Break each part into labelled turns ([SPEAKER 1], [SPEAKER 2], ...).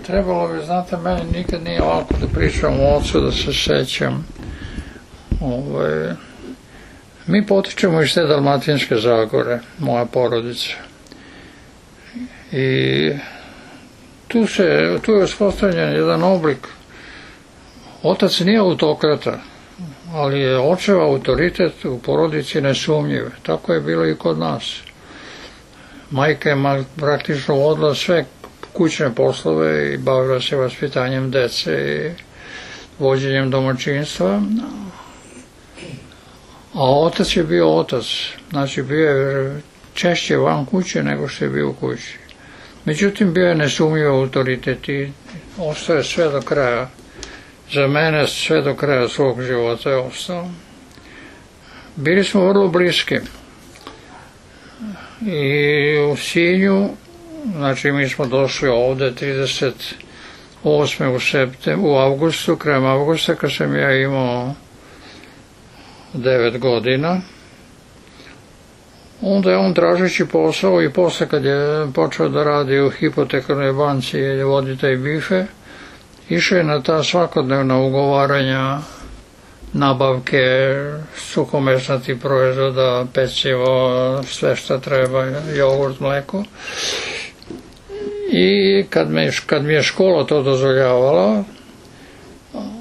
[SPEAKER 1] trebalo bi, znate, meni nikad nije lako da pričam o ocu, da se sećam. Mi potičemo iz te Dalmatinske Zagore, moja porodica. I tu je uspostavljen jedan oblik. Otac nije autokrata, ali je očev autoritet u porodici nesumnjiv. Tako je bilo i kod nas. Majka je praktično vodila sve kućne poslove i bavila se vaspitanjem dece i vođenjem domaćinstva. A otac je bio otac. Znači bio je češće van kuće nego što je bio u kući. Međutim, bio je nesumnjiv autoritet i ostaje sve do kraja. Za mene sve do kraja svog života je ostao. Bili smo vrlo bliski. I u Sinju, znači mi smo došli ovde 38. u avgustu, krajem avgusta, kad sam ja imao 9 godina. Onda je on tražeći posao i posle kad je počeo da radi u hipotekarnoj banci i vodi taj bife, išao je na ta svakodnevna ugovaranja, nabavke suhomesnatih proizvoda, pecivo, sve što treba, jogurt, mleko. I kad mi je škola to dozvoljavala,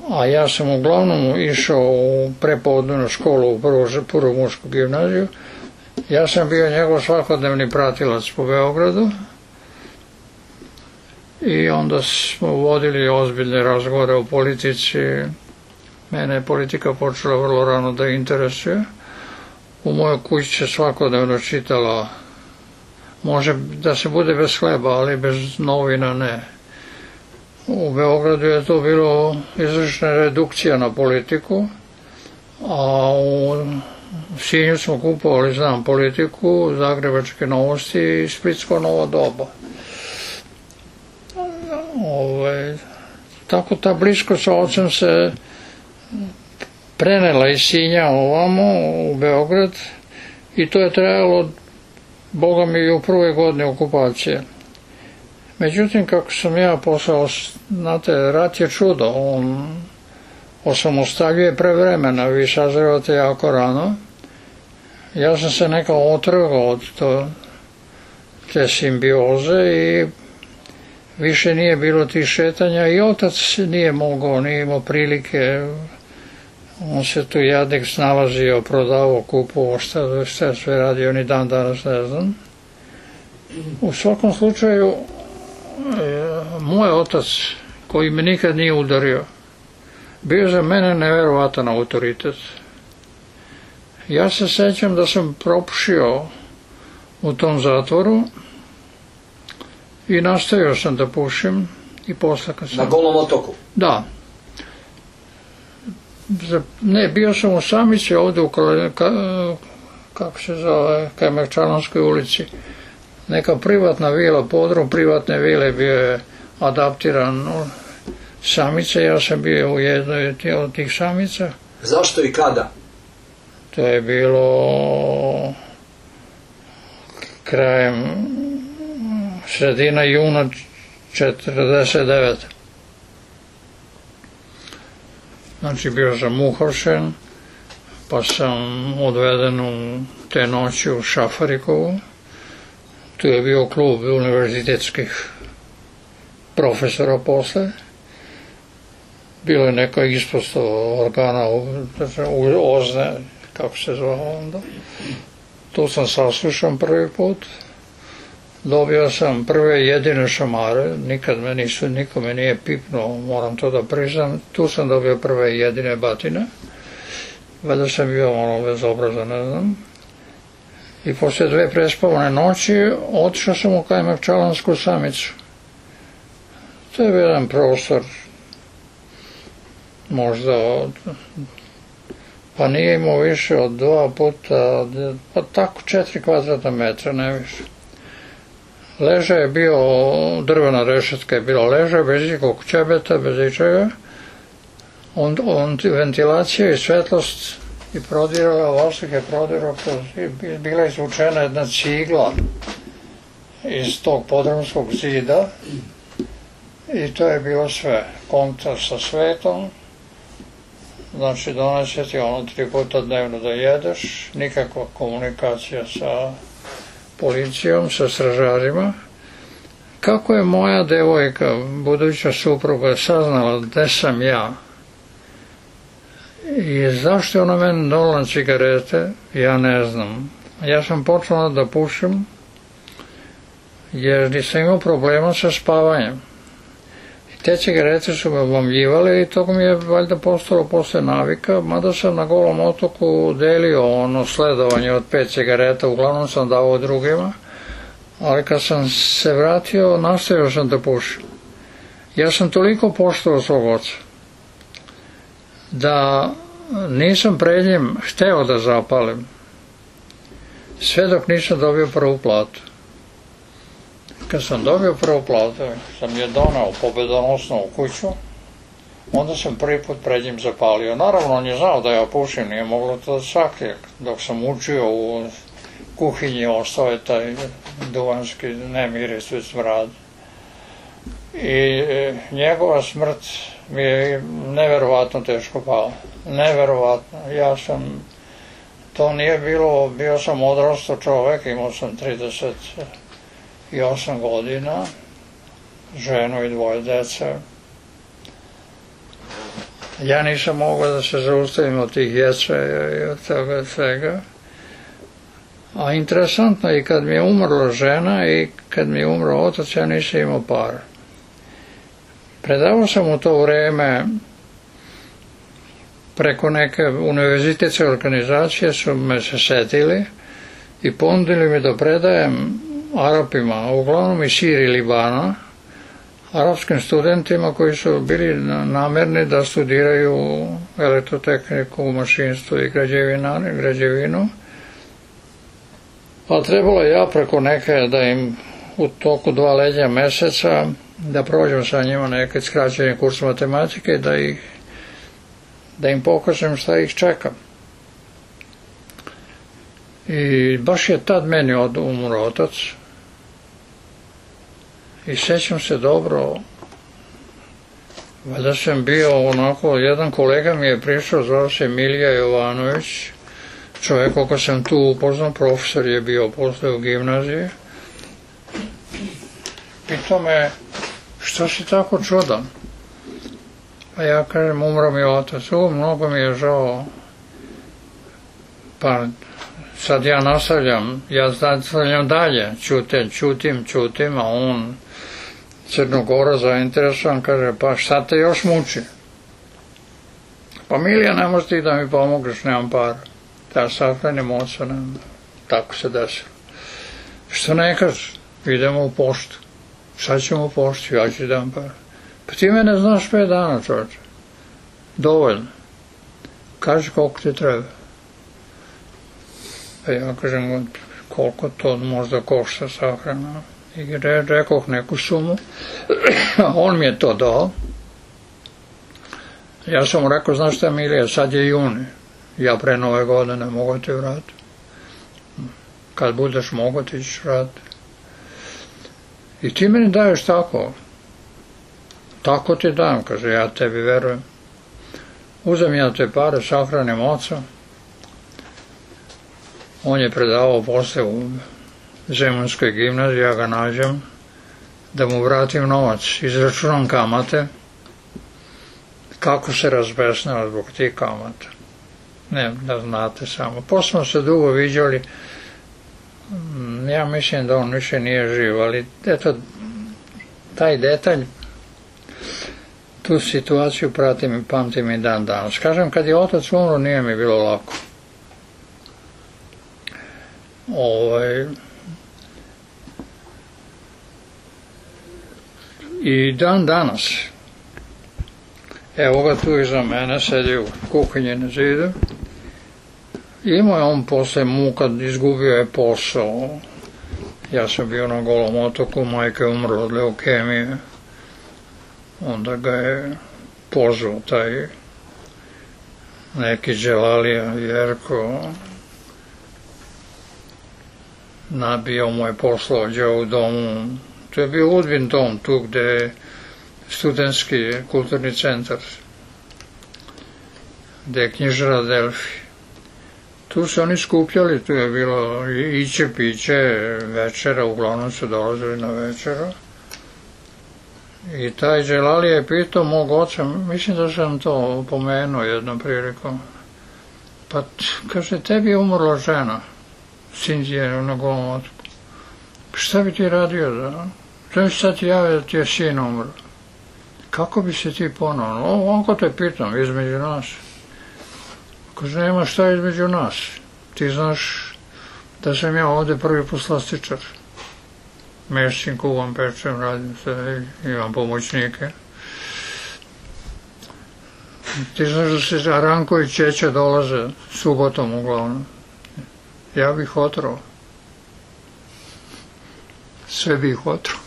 [SPEAKER 1] a ja sam uglavnom išao u prepodnevnu školu u prvu mušku gimnaziju, ja sam bio njegov svakodnevni pratilac po Beogradu i onda smo vodili ozbiljne razgovore o politici. Mene je politika počela vrlo rano da interesuje. U mojoj kući se svakodnevno čitala, može da se bude bez hleba, ali bez novina ne. U Beogradu je to bilo izvršna redukcija na politiku, a u Sinju smo kupovali, znam, politiku, Zagrebačke novosti i Splitsko novo doba. Tako ta bliskost sa ocem se prenela iz Sinja ovamo u Beograd i to je trajalo, Boga mi, i u prvoj godini okupacije. Međutim, kako sam ja poslao, znate, rat je čudo, on osamostaljuje prevremena, vi sazrevate jako rano. Ja sam se nekako otrgao od te simbioze i više nije bilo tih šetanja i otac nije mogao, nije imao prilike. On se tu jadnik snalazio, prodavao, kupovao, šta sve radio, ni dan danas ne znam. U svakom slučaju, moj otac, koji me nikad nije udario, bio za mene neverovatan autoritet. Ja se sećam da sam propušio u tom zatvoru i nastavio sam da pušim i posle kad sam...
[SPEAKER 2] Na Golom otoku?
[SPEAKER 1] Da. Ne, bio sam u Samici ovde u kako se zove, Kajmakčalanskoj ulici. Neka privatna vila, podrum privatne vile bio je adaptiran u Samice, ja sam bio u jednoj od tih Samica.
[SPEAKER 2] Zašto i kada?
[SPEAKER 1] To je bilo krajem, sredina juna 49. Znači bio sam uhapšen, pa sam odveden u te noći u Šafarikovu. Tu je bio klub univerzitetskih profesora posle. Bilo je neka ispostava organa OZNE, kako se zvao onda. Tu sam saslušan prvi put. Dobio sam prve jedine šamare, niko me nije pipnuo, moram to da priznam. Tu sam dobio prve jedine batine. Valjda sam bio malo bezobrazan, ne znam. I posle 2 prespavane noći otišao sam u Kajmakčalansku Samicu. To je jedan prostor, možda pa nije imao više od 2 puta, pa tako 4 kvadratna metra, ne više. Ležaj je bio, drvena rešetka je bila ležaj, bez ikog ćebeta, bez ičega. Ventilacija i svetlost i prodirala, vazduh je prodirao, bila izvučena jedna cigla iz tog podrumskog zida I to je bilo sve. Kontakt sa svetom, znači donese ti ono 3 puta dnevno da jedeš, nikakva komunikacija sa policijom, sa stražarima. Kako je moja devojka, buduća supruga, saznala gde sam ja i zašto je ona meni donela cigarete, ja ne znam. Ja sam počela da pušim jer nisam imao problema sa spavanjem. I te cigarete su me obamljivale i to mi je valjda postalo posle navika, mada sam na Golom otoku delio ono sledovanje od 5 cigareta, uglavnom sam davao drugima, ali kad sam se vratio, nastavio sam da pušim. Ja sam toliko poštovao svog oca da nisam pred njim hteo da zapalim, sve dok nisam dobio prvu platu. Kad sam dobio prvu platu, sam je donao pobedonosno u kuću, onda sam prvi put pred njim zapalio. Naravno, on je znao da ja pušim, nije moglo to da sakrije. Dok sam učio u kuhinji, ostao je taj duvanski nemiris, već smrad. I njegova smrt mi je neverovatno teško pala. Neverovatno. To nije bilo, bio sam odrastao čovek, imao sam 38 godina, ženu i 2 dece. Ja nisam mogao da se zaustavim od tih ječaja i od toga svega. A interesantno je, kad mi je umrla žena i kad mi je umro otac, ja nisam imao para. Predavao sam u to vreme preko neke univerzitetske organizacije, su me se setili i ponudili mi da predajem Arapima, uglavnom iz Sirije i Libana, arapskim studentima koji su bili namerni da studiraju elektrotehniku, mašinstvo i građevinu. A trebalo ja preko neke da im u toku 2 leđa meseca da prođem sa njima neki skraćeni kurs matematike, da im pokažem šta ih čeka. I baš je tad meni umro otac. I sećam se dobro, valjda sam bio onako, jedan kolega mi je prišao, zvao se Milija Jovanović, čovjek koga sam tu upoznao, profesor je bio posle u gimnaziji. Pitao me, što si tako čudan? A ja kažem, umro mi otac, mnogo mi je žao. Pa sad ja nastavljam dalje, čutim, a on, Crnogora, zainteresovan, kaže, pa šta te još muči? Pa Milija, ne možeš ti da mi pomogneš, nemam para. Ja sahranim oca, tako se desilo. Što ne kažeš, idemo u poštu. Šta ćemo u poštu, ja ću dam para. Pa ti mene znaš 5 dana, čovječe. Dovoljno. Kaži koliko ti treba. Pa ja kažem, koliko to možda košta sahrana. I rekoh neku sumu. On mi je to dao. Ja sam mu rekao, znaš šta Milija, sad je juni. Ja pre Nove godine mogu ti vratiti. Kad budeš mogo ti ćeš vratiti. I ti meni daješ tako. Tako ti dam, kaže, ja tebi verujem. Uzem ja te pare, sahranim oca. On je predavao posle u Zemunskoj gimnaziji, ja ga nađem, da mu vratim novac, izračunam kamate, kako se razbesnila zbog tih kamata. Ne, da znate samo. Posle smo se dugo viđali, ja mislim da on više nije živ, ali eto, taj detalj, tu situaciju pratim i pamtim i dan danas. Kažem, kad je otac umro, nije mi bilo lako. I dan danas, evo ga tu iza mene, sedi u kuhinji na zidu. Imao je on posle muka, izgubio je posao. Ja sam bio na Golom otoku, majka je umrla od leukemije. Onda ga je pozvao taj neki Đelalija Jerko. Nabio mu je poslođa u domu. To je bio Udbin dom, tu gde studentski kulturni centar, gde je knjižara Delfi. Tu su oni skupljali, tu je bilo iće, piće, večera, uglavnom su dolazili na večeru. I taj Đelali je pitao mog oca, mislim da sam to pomenuo jednom prilikom, pa kaže, tebi je umrla žena, Sindije na Golom otoku. Šta bi ti radio da? Šta bi sad ti javio da ti je sin umro? Kako bi se ti ponovno? Ovako te pitam, između nas. Kaže, nema šta između nas. Ti znaš da sam ja ovde prvi poslastičar. Mešćim, kuvam, pečem, radim se, imam pomoćnike. Ti znaš da se Ranko i Čeća dolaze subotom uglavnom. Ja bih otrao. Sve bih otrao.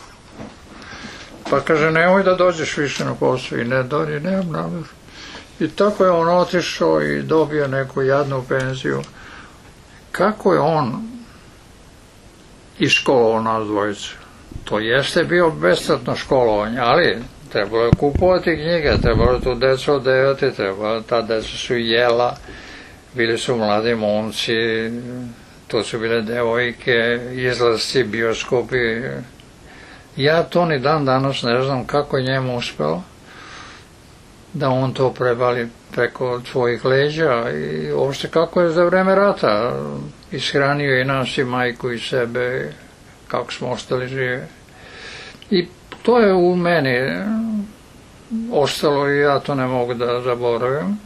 [SPEAKER 1] Pa kaže, nemoj da dođeš više na posao. I ne dođe, nemam namjer. I tako je on otišao i dobio neku jadnu penziju. Kako je on iškolovao nas dvojicu? To jeste bio besplatno školovanje, ali trebalo je kupovati knjige, trebalo je tu decu odevati, ta deca su jela, bili su mladi momci, to su bile devojke, izlasci, bioskopi. Ja to ni dan danas ne znam kako je njemu uspelo da on to prebali preko svojih leđa i uopšte kako je za vreme rata ishranio i nas i majku i sebe, kako smo ostali živi. I to je u meni ostalo i ja to ne mogu da zaboravim.